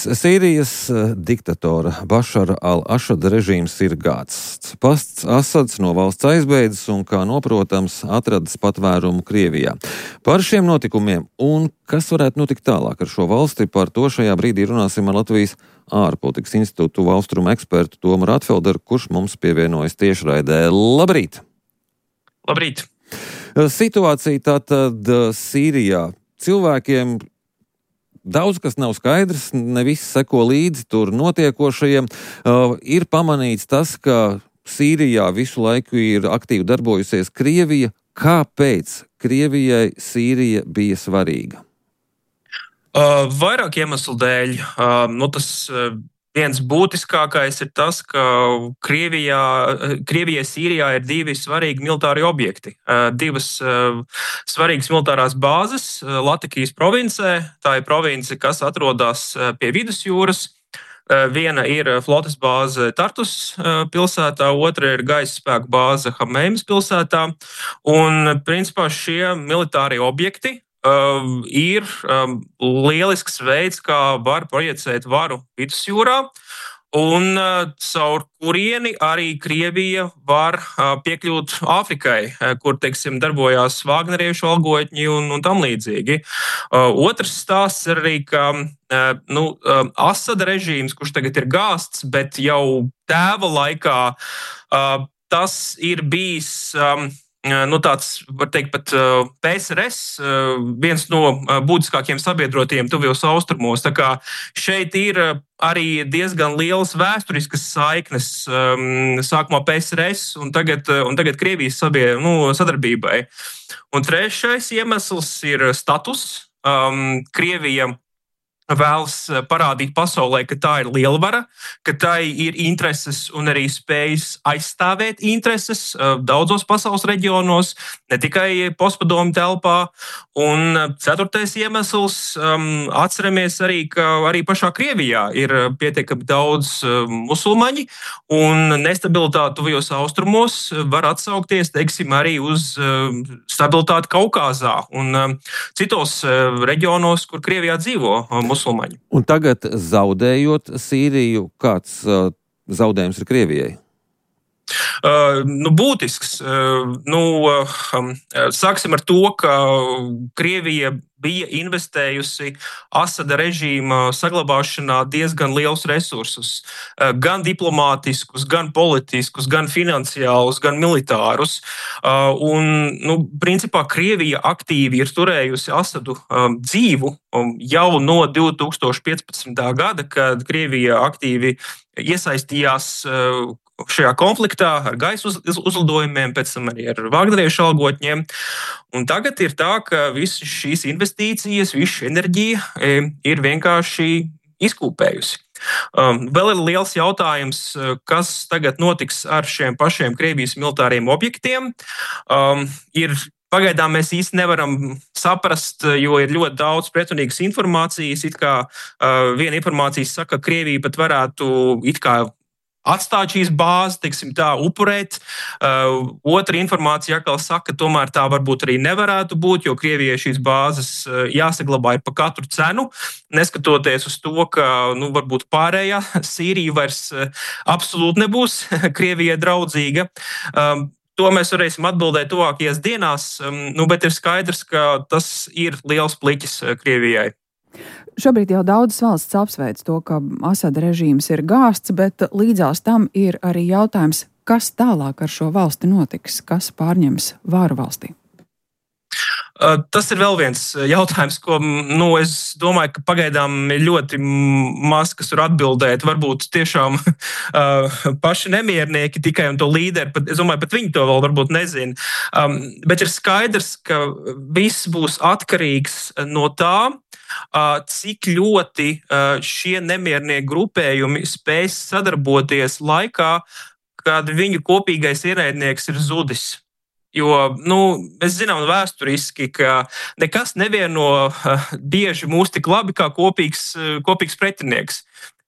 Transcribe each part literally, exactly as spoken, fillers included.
Sīrijas diktatora Bašara al-Ašada režīms ir gāsts. Pasts Asads no valsts aizbēdzis un, kā noprotams, atradis patvērumu Krievijā. Par šiem notikumiem un kas varētu notikt tālāk ar šo valsti, par to šajā brīdī runāsim ar Latvijas ārpolitikas institūtu austrumu ekspertu Tomu Rātfelderu, kurš mums pievienojas tiešraidē. Labrīt! Labrīt! Situācija tātad Sīrijā. Cilvēkiem daudz kas nav skaidrs, ne viss seko līdzi tur notiekošajiem. Uh, ir pamanīts tas, ka Sīrijā visu laiku ir aktīvi darbojusies Krievija. Kāpēc Krievijai Sīrija bija svarīga? Uh, vairāk iemeslu dēļ. Uh, nu tas, uh, viens būtiskākais ir tas, ka Krievijā, Krievijai Sīrijā ir divi svarīgi militāri objekti. Uh, divas uh, svarīgas militārās bāzes uh, Latikijas provincē. Tā ir province, kas atrodas uh, pie vidusjūras. Uh, viena ir flotes bāze Tartus uh, pilsētā, otra ir gaisa spēku bāze Hameimas pilsētā. Un, principā, šie militārie objekti Uh, ir um, lielisks veids, kā var projicēt varu vidusjūrā, un uh, caur kurieni arī Krievija var uh, piekļūt Āfrikai, uh, kur, teiksim, darbojās vāgneriešu algotņi un, un tam līdzīgi. Uh, otrs stāsts ir arī, ka uh, nu, uh, Asada režīms, kurš tagad ir gāsts, bet jau tēva laikā, uh, tas ir bijis Um, Nu, tāds, var teikt, pat P S R S, viens no būtiskākajiem sabiedrotiem tuvajos austrumos. Tā kā šeit ir arī diezgan lielas vēsturiskas saiknes, sākumā P S R S un tagad, un tagad Krievijas sabie, nu, sadarbībai. Un trešais iemesls ir status. Krievija vēlas parādīt pasaulē, ka tā ir lielvara, ka tai ir intereses un arī spējas aizstāvēt intereses daudzos pasaules reģionos, ne tikai postpadomju telpā. Un ceturtais iemesls, um, atceramies arī, ka arī pašā Krievijā ir pietiekami daudz musulmaņi, un nestabilitāte tuvajos austrumos var atsaukties, teiksim, arī uz stabilitāti Kaukāzā un citos reģionos, kur Krievijā dzīvo musulmaņi. Un tagad, zaudējot Sīriju, kāds uh, zaudējums ir Krievijai? Uh, nu, būtisks. Uh, nu, uh, sāksim ar to, ka Krievija bija investējusi Asada režīma saglabāšanā diezgan lielus resursus, uh, gan diplomātiskus, gan politiskus, gan finansiālus, gan militārus. Uh, un, nu, principā Krievija aktīvi ir turējusi Asadu um, dzīvu um, jau no divi tūkstoši piecpadsmitā gada, kad Krievija aktīvi iesaistījās uh, šajā konfliktā ar gaisa uz, uzlidojumiem, pēc tam arī ar vāgneriešu algotņiem. Un tagad ir tā, ka visas šīs investīcijas, visa šī enerģija e, ir vienkārši izkūpējusi. Um, vēl ir liels jautājums, kas tagad notiks ar šiem pašiem Krievijas militāriem objektiem. Um, ir Pagaidām mēs īsti nevaram saprast, jo ir ļoti daudz pretrunīgas informācijas. It kā uh, viena informācija saka, ka Krievija pat varētu it kā atstāt šīs bāzes, teiksim tā, upurēt. Uh, otra informācija atkal saka, ka tomēr tā varbūt arī nevarētu būt, jo Krievijai šīs bāzes uh, jāsaglabā par katru cenu, neskatoties uz to, ka, nu, varbūt pārējā Sīrija vairs uh, absolūti nebūs Krievijai draudzīga. Um, To mēs varēsim atbildēt tuvākajās dienās, nu, bet ir skaidrs, ka tas ir liels pliķis Krievijai. Šobrīd jau daudzas valsts apsveic to, ka Asada režīms ir gāsts, bet līdzās tam ir arī jautājums, kas tālāk ar šo valsti notiks, kas pārņems vāru valstī. Tas ir vēl viens jautājums, ko, nu, es domāju, ka pagaidām ir ļoti maz, kas var atbildēt. Varbūt tiešām uh, paši nemiernieki tikai un to līderi, pat, es domāju, pat viņi to vēl varbūt nezina. Um, bet ir skaidrs, ka viss būs atkarīgs no tā, uh, cik ļoti uh, šie nemiernieki grupējumi spēs sadarboties laikā, kad viņu kopīgais ienaidnieks ir zudis. Jo, nu, mēs zinām vēsturiski, ka nekas nevieno uh, bieži mūs tik labi kā kopīgs, uh, kopīgs pretinieks.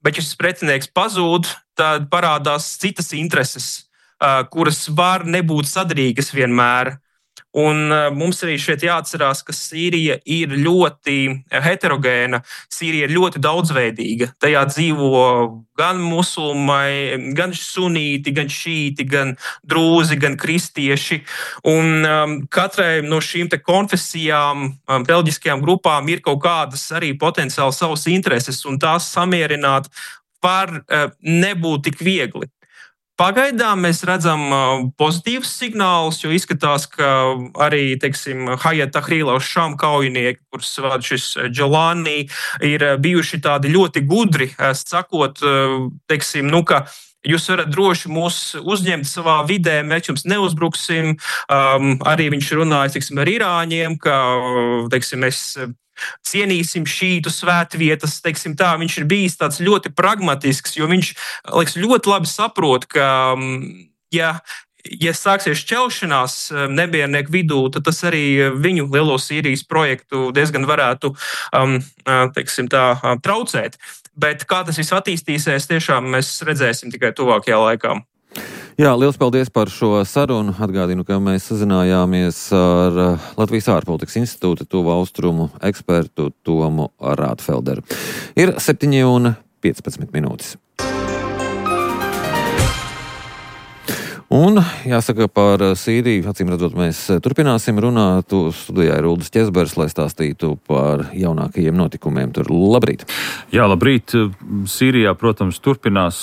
Bet, ja šis pretinieks pazūd, tad parādās citas intereses, uh, kuras var nebūt sadarīgas vienmēr. Un mums arī šeit jāatcerās, ka Sīrija ir ļoti heterogēna, Sīrija ir ļoti daudzveidīga. Tajā dzīvo gan musulmaņi, gan sunīti, gan šīti, gan drūzi, gan kristieši. Un um, katrai no šīm te konfesijām, um, reliģiskajām grupām ir kaut kādas arī potenciāli savas intereses, un tās samierināt var uh, nebūt tik viegli. Pagaidām mēs redzam pozitīvus signālus, jo izskatās, ka arī, teiksim, Hayat Tahrir al-Sham kaujinieki, kurus vada šis Džolani, ir bijuši tādi ļoti gudri, sakot, teiksim, nu, ka jūs varat droši mūs uzņemt savā vidē, mēs jums neuzbruksim. Um, arī viņš runāja, teiksim, ar Irāņiem, ka, teiksim, mēs cienīsim šītu svētvietas, teiksim tā, viņš ir bijis tāds ļoti pragmatisks, jo viņš, liekas, ļoti labi saprot, ka, ja, ja sāksies šķelšanās nebiernieku vidū, tad tas arī viņu lielo Sīrijas projektu diezgan varētu, um, teiksim tā, traucēt. Bet kā tas viss attīstīsies, tiešām mēs redzēsim tikai tuvākajā laikā. Jā, liels paldies par šo sarunu. Atgādinu, ka mēs sazinājāmies ar Latvijas ārpolitikas institūta tuvu austrumu ekspertu Tomu Rātfelderu. Ir septiņi un piecpadsmit minūtes. Un, jāsaka, par Sīriju, acīm redzot, mēs turpināsim runāt. Studijā ir Uldis Ķezbers, lai stāstītu par jaunākajiem notikumiem tur. Labrīt! Jā, labrīt! Sīrijā, protams, turpinās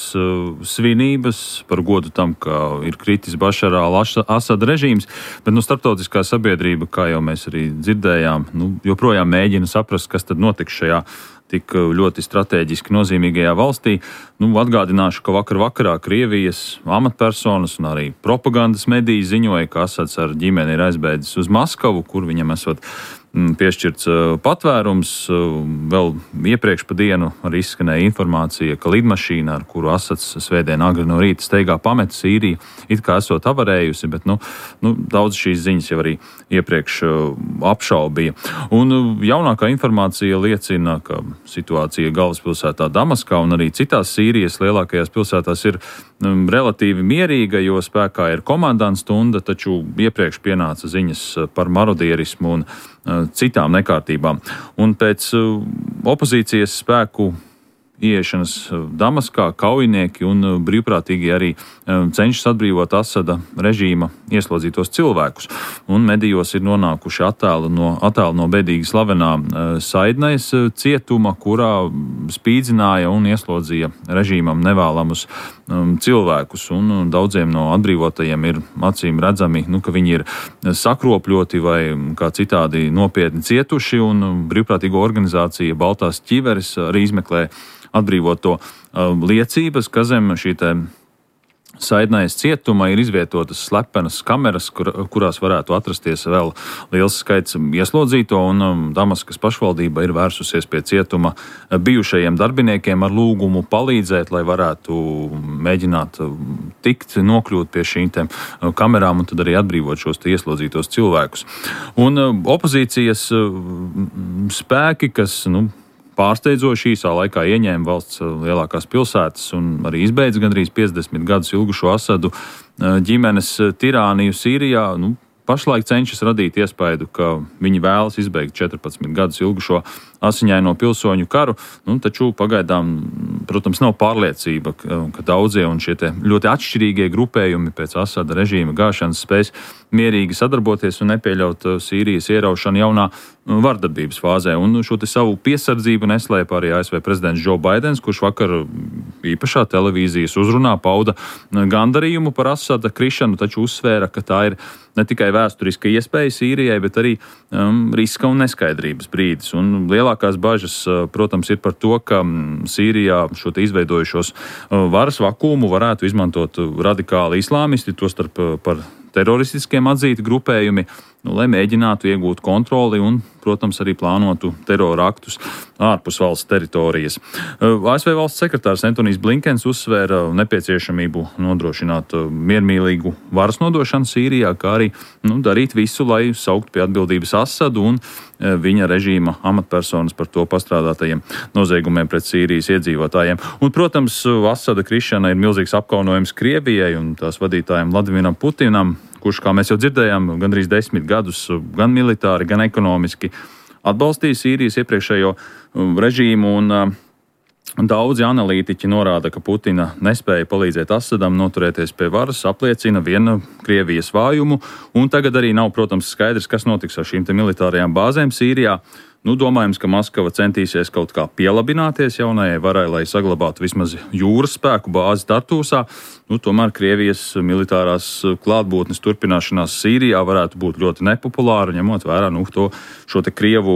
svinības par godu tam, ka ir kritis Bašara al-Asada režīms, bet nu, starptautiskā sabiedrība, kā jau mēs arī dzirdējām, nu, joprojām mēģina saprast, kas tad notiks šajā tik ļoti strateģiski nozīmīgajā valstī. Nu, atgādināšu, ka vakar vakarā Krievijas amatpersonas un arī propagandas mediji ziņoja, ka Asads ar ģimeni ir aizbēdzis uz Maskavu, kur viņam esot piešķirts patvērums. Vēl iepriekš pa dienu arī izskanēja informācija, ka lidmašīna, ar kuru Asads svētdien agri no rīta steigā pameta Sīriju, it kā esot avarējusi, bet nu, nu, daudz šīs ziņas jau arī iepriekš apšaubīja. Un jaunākā informācija liecina, ka situācija galvaspilsētā Damaskā un arī citās Sīrijas lielākajās pilsētās ir um, relatīvi mierīga, jo spēkā ir komandants stunda, taču iepriekš pienāca ziņas par marodierismu un uh, citām nekārtībām. Un pēc uh, opozīcijas spēku ieiešanas Damaskā kaujinieki un brīvprātīgi arī cenšas atbrīvot Asada režīma ieslodzītos cilvēkus. Un medijos ir nonākuši attēli no, attēli no bēdīgi slavenā Saidnais cietuma, kurā spīdzināja un ieslodzīja režīmam nevēlamus cilvēkus. Un daudziem no atbrīvotajiem ir acīm redzami, nu, ka viņi ir sakropļoti vai kā citādi nopietni cietuši, un brīvprātīgo organizācija Baltās ķiveres arī izmeklē atbrīvoto uh, liecības, ka zem šī te Saidnais cietuma ir izvietotas slepenas kameras, kur, kurās varētu atrasties vēl liels skaits ieslodzīto, un um, Damaskas pašvaldība ir vērsusies pie cietuma bijušajiem darbiniekiem ar lūgumu palīdzēt, lai varētu mēģināt tikt, nokļūt pie šīm te kamerām un tad arī atbrīvot šos te ieslodzītos cilvēkus. Un uh, opozīcijas uh, spēki, kas, nu, pārsteidzoši īsā laikā ieņēma valsts lielākās pilsētas un arī izbeidza gandrīz piecdesmit gadus ilgušo Asadu ģimenes tirāniju Sīrijā, nu, pašlaik cenšas radīt iespaidu, ka viņi vēlas izbeigt četrpadsmit gadus ilgušo asiņaino pilsoņu karu, nu, taču pagaidām, protams, nav pārliecība, ka, ka daudzie un šie te ļoti atšķirīgie grupējumi pēc Asada režīma gāšanas spēs mierīgi sadarboties un nepieļaut Sīrijas ieraušanu jaunā vardarbības fāzē. Un šo te savu piesardzību neslēpa arī A S V prezidents Džo Baidens, kurš vakar īpašā televīzijas uzrunā pauda gandarījumu par Asada krišanu, taču uzsvēra, ka tā ir ne tikai vēsturiska iespēja Sīrijai, bet arī um, riska un neskaidrības brīdis. Un lielākās bažas, protams, ir par to, ka Sīrijā šo te izveidojušos varas vakumu varētu izmantot radikāli islāmisti, tostarp par teroristiskiem atzīti grupējumi, nu, lai mēģinātu iegūt kontroli un, protams, arī plānotu terora aktus ārpus valsts teritorijas. A S V valsts sekretārs Antonijs Blinkens uzsvēra nepieciešamību nodrošināt miermīlīgu varas nodošanu Sīrijā, kā arī nu, darīt visu, lai saukt pie atbildības Asadu un viņa režīma amatpersonas par to pastrādātajiem noziegumiem pret Sīrijas iedzīvotājiem. Un, protams, Asada krišana ir milzīgs apkaunojums Krievijai un tās vadītājiem Vladiminam Putinam. kurš, kā mēs jau dzirdējām, gandrīz desmit gadus gan militāri, gan ekonomiski atbalstīja Sīrijas iepriekšējo režīmu. Un, Daudzi analītiķi norāda, ka Putina nespēja palīdzēt Asadam noturēties pie varas, apliecina viena Krievijas vājumu, un tagad arī nav, protams, skaidrs, kas notiks ar šīm te militārajām bāzēm Sīrijā. Nu, domājams, ka Maskava centīsies kaut kā pielabināties jaunajai varai, lai saglabātu vismaz jūras spēku bāzi Tartūsā. Nu, tomēr Krievijas militārās klātbūtnes turpināšanās Sīrijā varētu būt ļoti nepopulāra, ņemot vērā nu, to, šo te Krievu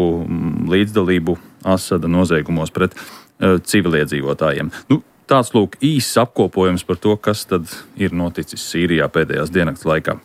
līdzdalību Asada noziegumos pret civiliedzīvotājiem. Nu, tāds lūk īsts apkopojums par to, kas tad ir noticis Sīrijā pēdējās diennakts laikā.